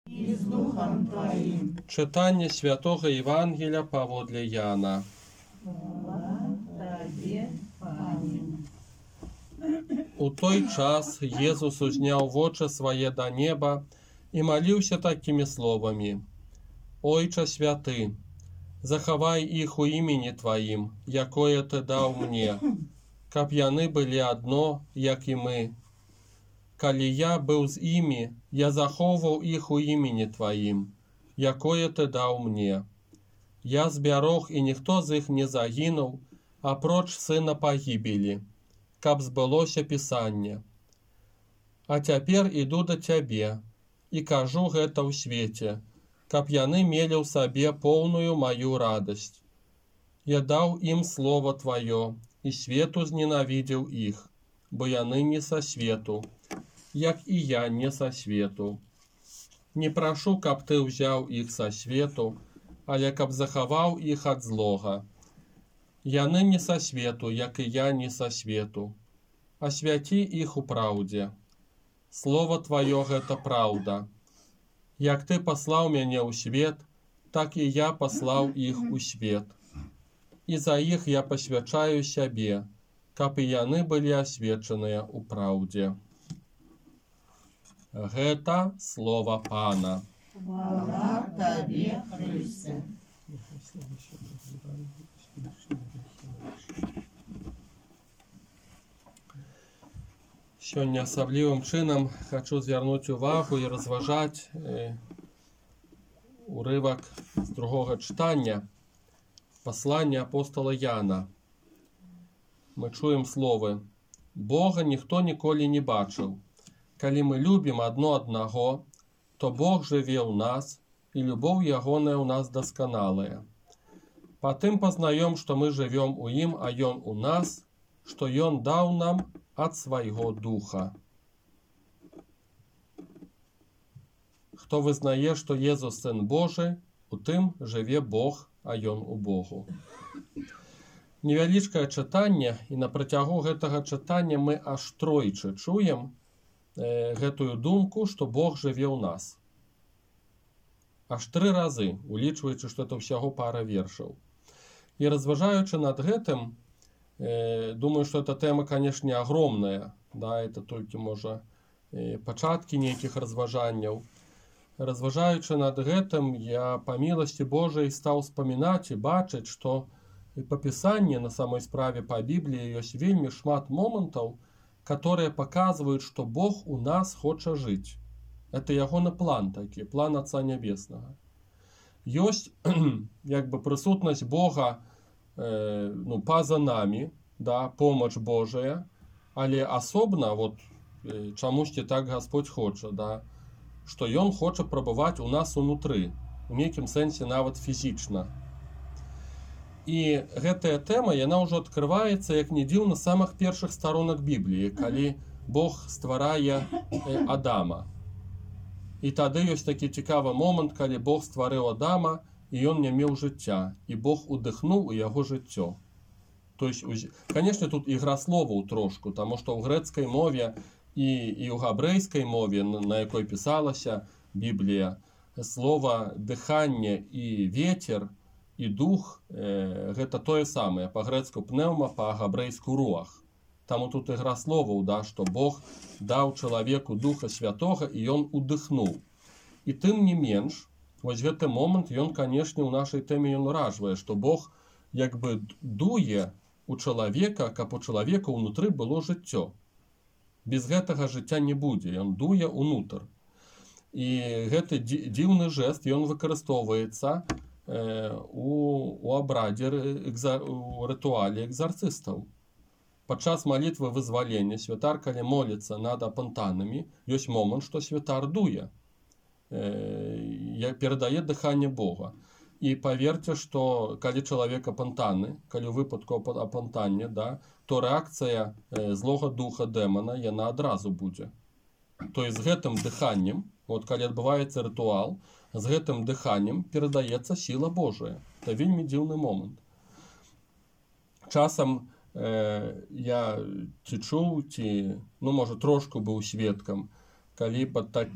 і з Духом Твоїм. Читання Святого Євангелія паводле Яна. Слава Тобі, Пане. У той час Єсус узняў вочы свае да неба і маліўся такімі словамі: «Ойча святы, захавай іх у імені Тваім, якое Ты даў мне, каб яны былі адно, як і мы. Калі я быў з імі, я захоўваў іх у імені Тваім, якое Ты даў мне. Я збярог, і ніхто з іх не загінуў, апроч сына пагібелі, каб збылося Пісанне. А цяпер іду да Цябе і кажу гэта ў свеце, каб яны мелі ў сабе поўную маю радасць. Я даў ім слова Тваё, і свету зненавідзеў іх, бо яны не са свету, як і я не са свету. Не прашу, каб Ты ўзяў іх са свету, але каб захаваў іх ад злога. Яны не са свету, як і я не са свету. Асвяці іх у праўдзе. Слова Тваё гэта праўда. Як Ты паслаў мяне ў свет, так і я паслаў іх у свет. І за іх я пасвячаю сябе, каб і яны былі асвечаныя ў праўдзе». Гэта слова Пана. Слава Тобі, Христе. Сёння асаблівым чынам хачу звярнуць увагу і разважаць урывак з другога чытання паслання апостола Яна. Мы чуем словы: «Бога ніхто ніколі не бачыў. Калі мы любім адно аднаго, то Бог жыве ў нас, і любоў ягоная ў нас дасканалая. Патым пазнаём, што мы жывём у ім, а ён у нас, што ён даў нам ад свайго духа». Хто вызнае, што Езус Сын Божы, у тым жыве Бог, а ён у Богу. Невялічкае чытанне, і на працягу гэтага чытання мы аж тройчы чуем гэтую думку, што Бог жыве ў нас. Аж 3 разы, улічваючы, што это ўсяго пара вершаў. І разважаючы над гэтым, думаю, што эта тэма, канешне, агромная, да, это толькі, можа, пачаткі нейкіх разважанняў. Разважаючы над гэтым, я па міласці Божай стаў спамінаць і бачыць, што па Пісанні, на самой справе па Бібліі, ёсць вельмі шмат момантаў, которые паказваюць, што Бог у нас хоча жыць. Это ягоны план такі, план Отца Нябеснага. Ёсць як бы прысутнасць Бога па-за намі, да, помач Божая, але асобна, вот, чамусьці так Господь хоча, да, што Ён хоча прабываць у нас унутры, у нейкім сэнсе нават фізічна. І гэтая тэма, яна ўжо адкрываецца, як не дзіўна, з самых першых старонак Бібліі, калі Бог стварае Адама. І тады ёсць такі цікавы момант, калі Бог стварыў Адама, і ён не меў жыцця, і Бог удыхнуў у яго жыццё. То есть, канешне, тут ігра словаў трошку, таму што ў грэцкай мове і ў габрэйскай мове, на якой пісалася Біблія, слова дыханне і ветер, і дух гэта тое самае, па-грэцку пнеўма, па-габрэйску руах. Таму тут ігра словаў, да, што Бог даў чалавеку Духа Святога, і ён удыхнуў. І тым не менш, вось гэты момант, ён, канешне, у нашай тэме ён уражвае, што Бог як бы дуе у чалавека, каб у чалавека ўнутры было жыццё. Без гэтага жыцця не будзе, ён дуе ўнутр. І гэты дзіўны жэст, ён выкарыстоўваецца у абрадзе, у рытуале экзарцыстаў. Падчас малітвы вызвалення святар, калі моліцца над апантанамі, ёсць момант, што святар дуе, перадае дыханне Бога. І паверце, што калі чалавек апантаны, калі ў выпадку апантання, да, то рэакцыя злога духа дэмана, яна адразу будзе. То есть з гэтым дыханнем, вот калі адбываецца рытуал, з гэтым дыханнем перадаецца сіла Божая. Это вельмі дзіўны момант. Часам я ці чуў, ці, можа, трошку быў сведкам калі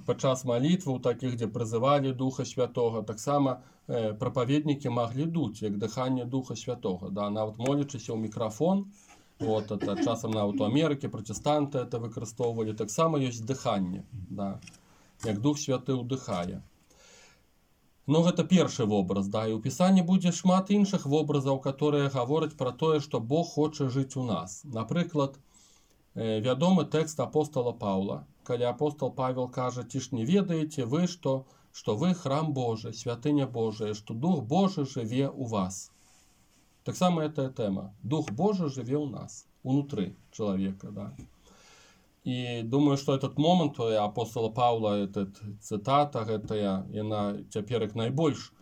падчас малітваў такіх, дзе прызывалі Духа Святога, таксама прапаведнікі маглі дуць, як дыханне Духа Святога, да, нават молячыся ў мікрафон. Вот, это часам нават у Амерыкі пратэстанты это выкарыстоўвалі. Таксама ёсць дыханне, да, як Дух Святы ўдыхае. Ну, гэта першы вобраз, да, і ў Пісанні будзе шмат іншых вобразаў, которые гавораць пра тое, што Бог хоча жыць у нас. Напрыклад, вядомы тэкст апостола Паўла, калі апостол Павел кажа: «Ці ж не ведаеце вы, што вы храм Божий, святыня Божия, што Дух Божий жыве у вас». Таксама гэтая тэма. Дух Божий жыве ў нас, унутры чалавека, да. І думаю, што этот момант апостола Паўла, этот цытата гэтая, яна цяпер як найбольш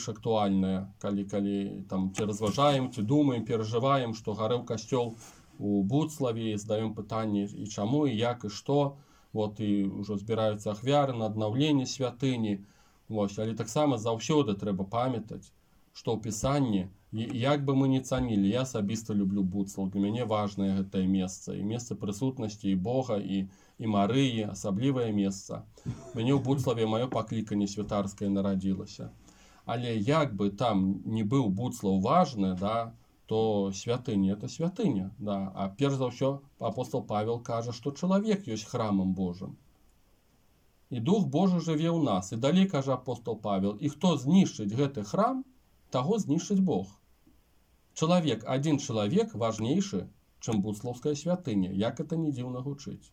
актуальная, калі там ці разважаем, ці думаем, перажываем, што гарэў касцёл у Буцлаве, і задаем пытанне, і чаму, і як, і што. Вот, і ўжо збіраюцца ахвяры на аднаўленне святыні. Вось, але таксама заўсёды трэба памятаць, што ў Пісанні, як бы мы не цанілі, я асабіста люблю Буцлаў, для мяне важнае гэтае месца, і месца прысутнасці і Бога, і Марыі, асаблівае месца. Мяне ў Буцлаве маё пакліканне святарскае нарадзілася. Але як бы там не быў Буцлаў важны, да, то святыня это святыня, да. А перш за ўсё апостол Павел кажа, што чалавек ёсць храмам Божым. І Дух Божы жыве ў нас. І далей кажа апостол Павел: і хто знішчыць гэты храм, таго знішчыць Бог. Адзін чалавек важнейшы, чым буцлаўская святыня, як это не дзіўна гучыць.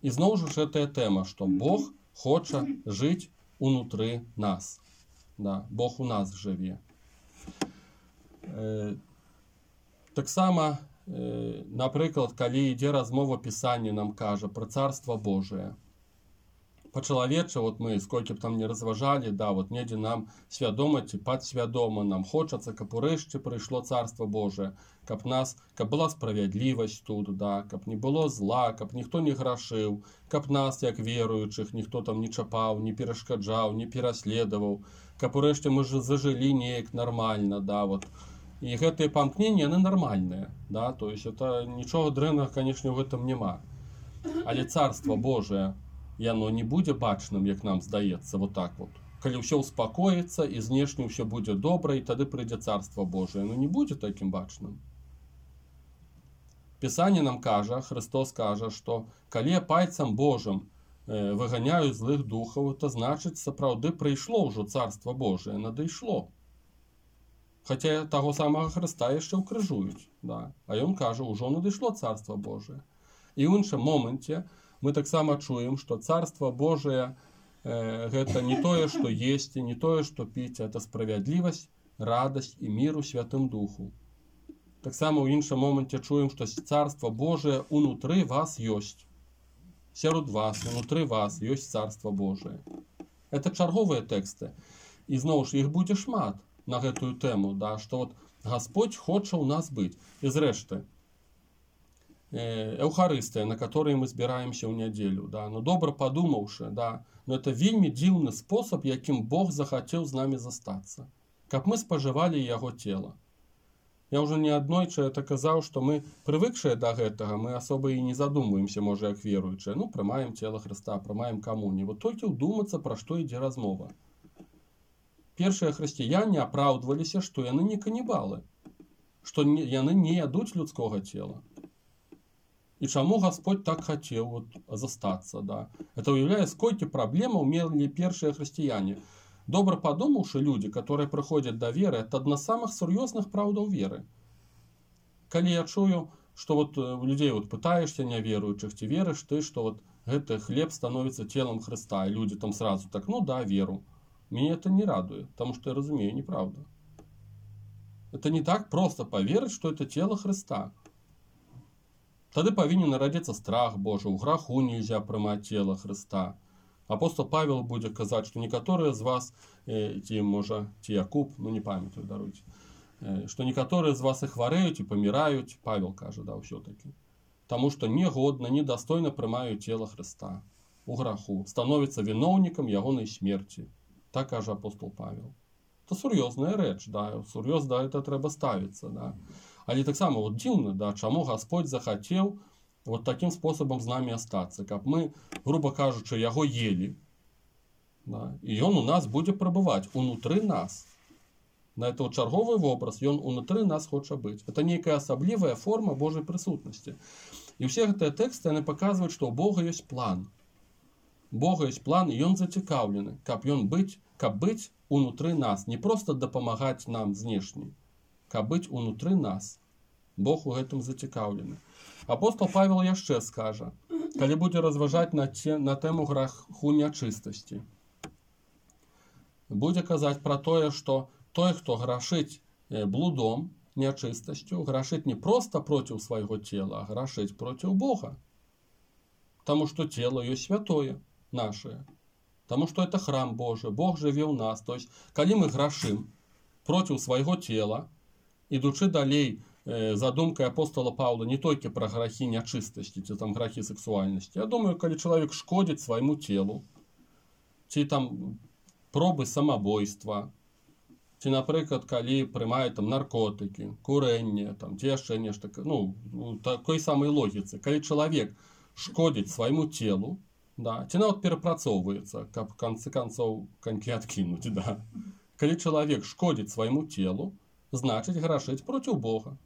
І зноў жа гэтая тэма, што Бог хоча жыць унутры нас. Да, Бог у нас жыве. Таксама, напрыклад, калі ідзе размова, Пісанне нам кажа пра Царства Божие. Па-чалавеча, вот мы сколькі б там не разважалі, да, вот недзе нам свядома ці падсвядома нам хочацца, каб урэшце прыйшло Царства Божие, каб была справядлівасць тут, да, каб не было зла, каб ніхто не грашыў, каб нас, як веруючых, ніхто там не чапаў, не перашкаджаў, не пераследаваў, каб урэшце мы зажылі неяк нармальна, да, вот. І гэтыя памкненні, яны нармальныя, да, то есть это нічога дрэннага, канешне, ў гэтым няма. Але Царства Божие, яно не будзе бачным, як нам здаецца, вот так вот. Калі ўсё ўспакоіцца і знешне ўсё будзе добра, і тады прыйдзе Царства Божие, не будзе такім бачным. Пісанне нам кажа, Христос кажа, што калі пальцам Божым выганяюць злых духаў, это значыць, сапраўды прыйшло ўжо Царства Божие, надышло. Хаця таго самага Хрыста яшчэ ўкрыжуюць, да. А ён кажа, ўжо надышло Царства Божие. І ў іншым моменце мы таксама чуем, што Царства Божие гэта не тое, што есці, не тое, што піць, это справядлівасць, радасць і мір у Святым Духу. Таксама ў іншым моменце чуем, што Царства Божие унутры вас ёсць. Сярод вас, унутры вас ёсць Царства Божие. Это чарговыя тэксты. І зноў ж іх будзе шмат на гэтую тэму, да, што вот Господь хоча ў нас быць. І зрэшты, Эўхарыстыя, на которой мы збіраемся ў нядзелю, да, ну добра падумаўшы, да, но это вельмі дзіўны спосаб, якім Бог захацеў з намі застацца, каб мы спажывалі яго цела. Я ўжо неаднойчы это казаў, што мы прывыкшыя да гэтага, мы асоба і не задумваемся, можа, як веруючыя, ну, прымаем цела Хрыста, прымаем камунію. Вот толькі ўдумацца, пра што ідзе размова. Першыя хрысціяне апраўдваліся, што яны не канібалы, што яны не ядуць людскога цела. І чаму Господь так хацеў вот застацца, да. Это уяўляе, сколькі праблемаў мелі першыя хрысціяне. Добра падумаўшы, людзі, которые прыходзяць да веры, это адна з самых сур'ёзных праўдаў веры. Калі я чую, што вот у людзей вот пытаешься няверуючых, ці верыш ты, што вот гэты хлеб становіцца целом Хрыста, і людзі там сразу так, ну да, веру. Меня это не радует, потому что я разумею, неправда. Это не так просто поверить, что это тело Христа. Тады павінен нарадзіцца страх Божий, у граху нельзя прымаць тело Христа. Апостол Павел будзе казаць, што некаторыя з вас, ці можа, ці Якуб, ну не памятаю, даруйце, што некаторыя з вас і хварэюць, і паміраюць, Павел кажа, да, ўсё-таки. Таму што негодна, недастойна прымаюць тело Христа. У граху, становіцца віноўнікам ягонай смерці. Так кажа апостол Павел. Это сур'ёзная рэч, да, сур'ёзна это трэба ставіцца, да. Але таксама вот дзіўна, да, чаму Господь захацеў вот таким способам з намі астацца, каб мы, грубо кажучы, яго ели, да, і ён у нас будзе прабываць унутры нас. На это чарговы вобраз, ён унутры нас хоча быць. Это нейкая асаблівая форма Божай прысутнасці. І ўсе гэтыя тэксты яны паказваюць, што ў Бога ёсць план. Бога ёсць план, і ён зацікаўлены, каб быць унутры нас, не проста дапамагаць нам знешне, каб быць унутры нас. Бог у гэтым зацікаўлены. Апостол Павел яшчэ скажа, калі будзе разважаць на тэму граху нячыстасці. Будзе казаць пра тое, што той, хто грашыць блудом, нячыстасцю, грашыць не проста проціў свайго цела, а грашыць проціў Бога. Таму што цела ёсць святое нашае. Таму што это храм Божы, Бог жыве ў нас. То есть, калі мы грашым проціў свайго цела, ідучы далей за думкай апостола Паўла не толькі пра грахі нячыстасці, ці там грахі сексуальнасці. Я думаю, калі чалавек шкодзіць свайму целу, ці там пробы самабойства, ці, напрыклад, калі прымае там наркотыкі, курэнне, там, ці яшчэ нешта, ну, такой самай логіцы. Калі чалавек шкодзіць свайму целу, да, ці нават перапрацоўваецца, каб в канцы канцоў канькі адкінуць, да. Калі чалавек шкодзіць свайму целу, значыць грашыць проціў Бога.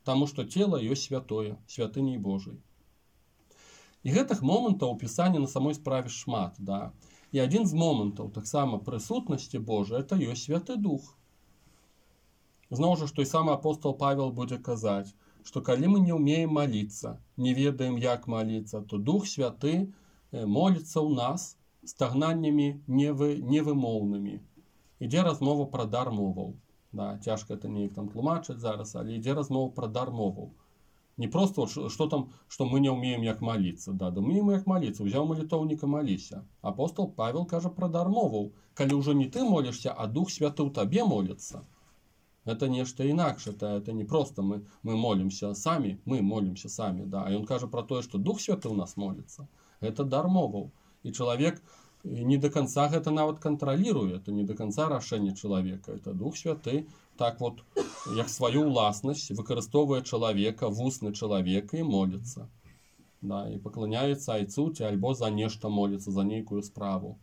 Таму што цела ёсць святое, святыняй Божай. І гэтых момантаў у Пісанні на самой справе шмат, да. І адзін з момантаў таксама прысутнасці Божай это ёсць Святы Дух. Зноў жа, той самы апостол Павел будзе казаць, што калі мы не ўмеем маліцца, не ведаем, як маліцца, то Дух Святы моліцца ў нас стагнаннямі невымоўнымі. Ідзе размова пра дар моваў. Да, цяжка это неяк там тлумачыць зараз, але ідзе размова пра дар моваў. Не просто, што там, што мы не ўмеем як маліцца. Да, умеем як маліцца, узяў малітоўніка, маліся. Апостол Павел кажа пра дар моваў. Калі ўжо не ты молішся, а Дух Святы ў табе моліцца. Это нешта інакш, это не просто мы молімся самі, да. А ён кажа пра тое, што Дух Святы ў нас моліцца. Гэта дар моваў. І чалавек не до конца гэта нават кантраліруе, это не до конца рашэнне чалавека. Это Дух Святы так вот, як сваю ўласнасць выкарыстоўвае чалавека, вусны чалавека і моліцца. Да, і пакланяецца айцу ці альбо за нешта моліцца, за нейкую справу.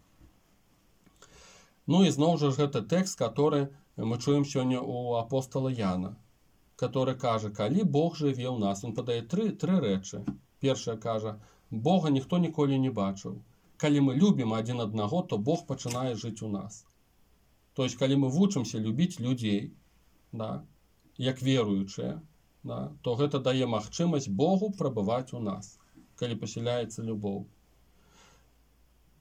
Ну і зноў жа гэта тэкст, который мы чуем сёння у апостола Яна, который кажа, калі Бог жыве ў нас, ён падае тры рэчы. Першая кажа, Бога ніхто ніколі не бачыў. Калі мы любім адзін аднаго, то Бог пачынае жыць у нас. То есть, калі мы вучымся любіць людзей, да, як веруючыя, да, то гэта дае магчымасць Богу прабываць у нас, калі пасяляецца любоў.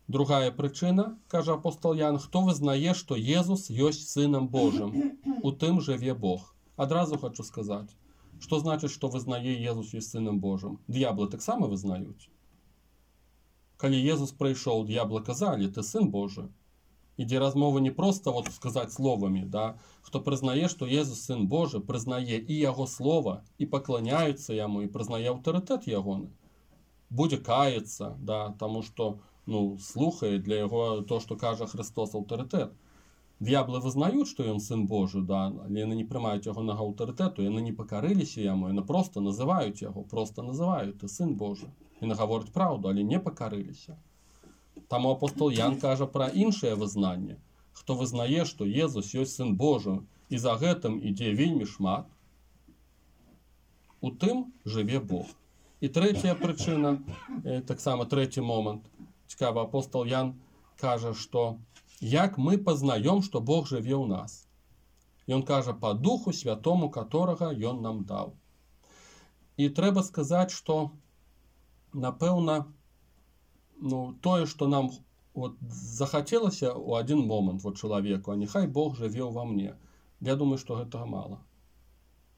Другая прычына, кажа апостол Ян, хто вызнае, што Езус ёсць Сынам Божым, у тым жыве Бог. Адразу хочу сказаць, што значыць, што вызнае Езус ёсць Сынам Божым? Д'яблы таксама вызнаюць. Калі Езус прыйшоў, д'яблы казалі, ты Сын Божы. Ідзе размова не проста вот сказаць словамі, да? Хто прызнае, што Езус Сын Божы, прызнае і Яго слова, і пакланяецца Яму, і прызнае аўтарытэт Ягоны. Будзе каяцца, да? Таму што слухае для Яго то, што кажа Христос, аўтарытэт. Д'яблы вызнаюць, што Ён Сын Божы, да? Але яны не прымаюць Ягонага аўтарытэту, яны не пакарыліся Яму, яны проста называюць Яго, проста называюць, ты Сын Божы. Яны гавораць праўду, але не пакарыліся. Таму апостол Ян кажа пра іншае вызнанне. Хто вызнае, што Езус ёсць Сын Божы, і за гэтым ідзе вельмі шмат, у тым жыве Бог. І трэцяя прычына, таксама трэці момант, цікава, апостол Ян кажа, што як мы пазнаём, што Бог жыве ў нас. Ён кажа па Духу Святому, которага Ён нам даў. І трэба сказаць, што напэўна, тое, што нам захацелася ў адзін момант чалавеку, а няхай Бог жыве ўва мне. Я думаю, што гэтага мала.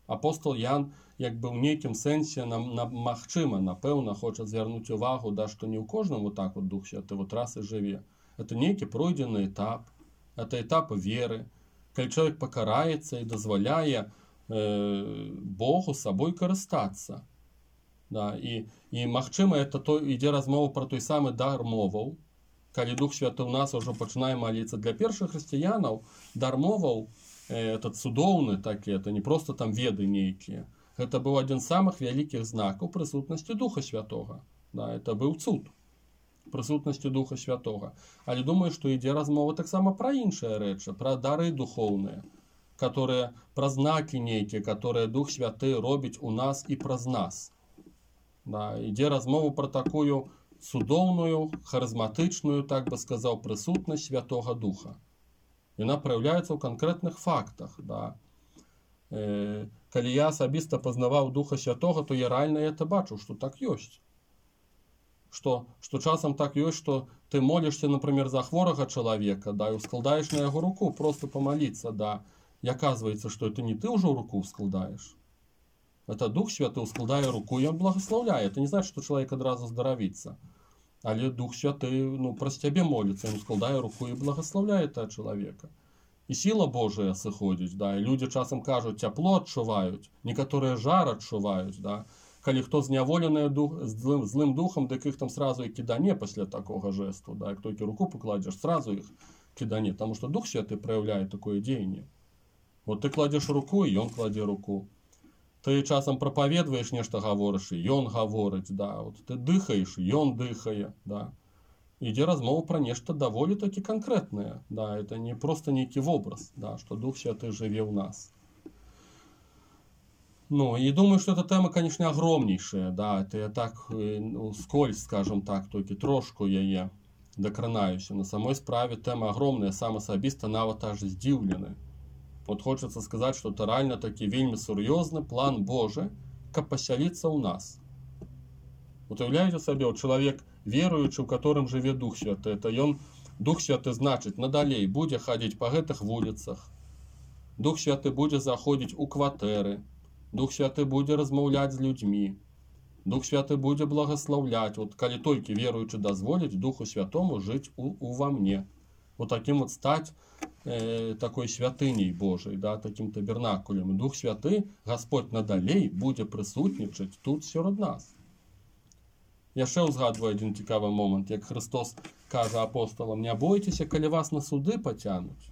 Апостол Ян, як бы ў нейкім сэнсе, магчыма, напэўна, хоча звярнуць увагу, што не ў кожным так Дух Святы раз і жыве. Это нейкі пройдзены этап, это этап веры, калі чалавек пакараецца і дазваляе Богу сабой карыстацца. Да, і магчыма, ідзе размова пра той самы дар моваў, калі Дух Святы ў нас ўжо пачынае маліцца. Для першых хрысціянаў дар моваў цудоўны такі, это не проста там веды нейкія, Гэта быў адзін з самых вялікіх знакаў прысутнасці Духа Святога. Да, это быў цуд прысутнасці Духа Святога. Але думаю, што ідзе размова таксама пра іншыя рэчы, пра дары духоўныя, которые, пра знакі нейкія, которые Дух Святы робіць у нас і праз нас. Да, ідзе размова пра такую цудоўную, харызматычную, так бы сказаў, прысутнасць Святога Духа. Яна праяўляецца ў канкрэтных фактах. Да. Калі я асабіста пазнаваў Духа Святога, то я рэальна это бачу, што так ёсць. Што часам так ёсць, што ты молішся, например, за хворага чалавека, да, і ускладаеш на яго руку, просто помолиться, да, і аказваецца, што это не ты ўжо руку ускладаеш. Это Дух Святы ускладае руку, і ён благословляе. Это не значит, што чалавек адразу здаравіцца. Але Дух Святы, праз цябе моліцца, ён ускладае руку і благословляе этого чалавека. І сила Божая сыходзіць, да, і людзі часам кажуць, цяпло адчуваюць, некаторыя жар адчуваюць, да. Калі хто зняволены злым духом, дык іх там сразу і кідане пасля такога жесту, да, як толькі руку пакладзеш, сразу іх кідане, таму што Дух Святы праяўляе такое дзеянне. Вот ты кладзеш руку, і ён кладзе руку. Ты часам прапаведваеш нешта, гаворыш, і ён гаворыць, да, вот ты дыхаеш, ён дыхае, да. Ідзе размова пра нешта даволі такі канкрэтнае, да, это не просто нейкі вобраз, да, што Дух Святы жыве ў нас. И думаю, что эта тема, конечно, огромнейшая, да, это я так, скользь, скажем так, только трошку яе дакранаюся. На самой справе тема огромная, сам асабіста нават аж здзіўлены. Вот хочется сказать, что это реально таки вельмі сур'ёзны план Божий, каб пасяліцца ў нас. Вот уявляеце сабе, чалавек веруючы, у которым жыве Дух Святы, это ён, Дух Святы, значит, надалей будзе хадзіць па гэтых вуліцах. Дух Святы будзе заходзіць у кватэры. Дух Святы будзе размаўляць з людзьмі. Дух Святы будзе благословляць. Вот калі толькі веруючы дазволіць Духу Святому жыць ува мне. Вот таким вот стаць такой святыней Божай, да, таким табернакулем. Дух Святы, Господь надалей будзе прысутнічаць тут сярод нас. Яшчэ ўзгадваю адзін цікавы момант, як Христос кажа апостолам: не бойцеся, калі вас на суды пацянуць.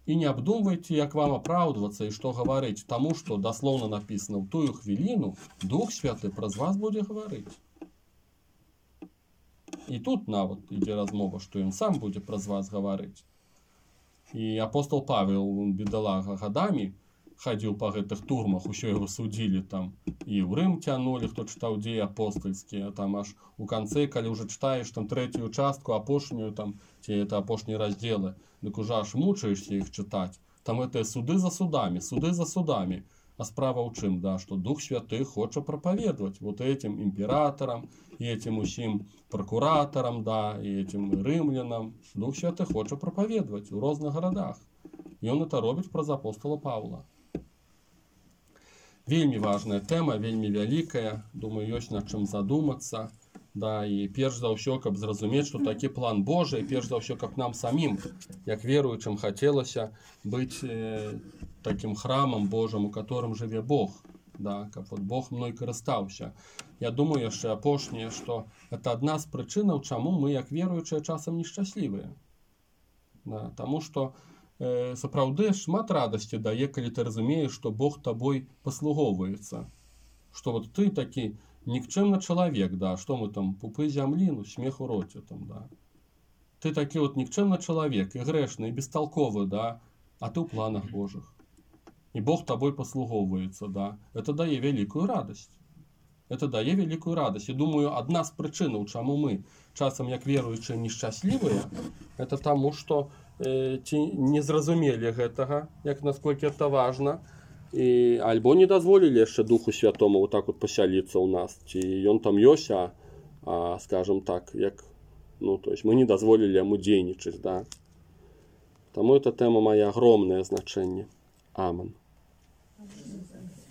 И не обдумывайте, як вам оправдываться и что говорить, тому, что дословно написано в тую хвилину, Дух Святый праз вас будет говорить. И тут нават ідзе размова, что он сам будет праз вас говорить. И апостол Павел, бедолага, годами ходил по гэтых турмах, еще его судили там, и в Рим тянули, кто читал деи апостольские, а там аж у конце, коли уже читаешь там третью частку, апошнюю там, те это апошние разделы, так уже аж мучаешься их читать. Там это суды за судами. А справа у чым, да, что Дух Святы хоча проповедовать вот этим императорам, и этим усім прокураторам, да, и этим римлянам. Дух Святы хоча проповедовать в разных городах. И он это робіць праз апостола Павла. Вельмі важная тема, вельмі вялікая, думаю, ёсць над чым задумацца. Да, і перш за ўсё, каб зразумець, што такі план Божий, перш за ўсё, каб нам самім, як веруючым, хацелася быць таким храмам Божым, у которым жыве Бог, да, каб вот Бог мной карыстаўся. Я думаю яшчэ апошняе, што это адна з прычынаў, чаму мы, як веруючыя, часам нешчаслівыя. Да, таму што сапраўды шмат радасці дае, калі ты разумееш, што Бог табой паслугоўваецца. Што вот ты такі никчемный человек, да, что мы там, пупы земли, смех у роте там, да. Ты таки вот никчемный человек, и грешный, и бестолковый, да, а ты в планах Божьих. И Бог тобой послуговывается, да. Это дае великую радость. Это дае великую радость. И думаю, одна з причинаў, чаму мы часам, як веруючыя, несчастливые, это тому, что ці не зразумелі гэтага, як насколько это важно, і альбо не дазволілі яшчэ Духу Святому вот так вот пасяліцца ў нас, ці ён там ёсць, а скажем так, як, то есть мы не дазволілі яму дзейнічаць, да. Таму эта тэма мае агромнае значэнне. Амен.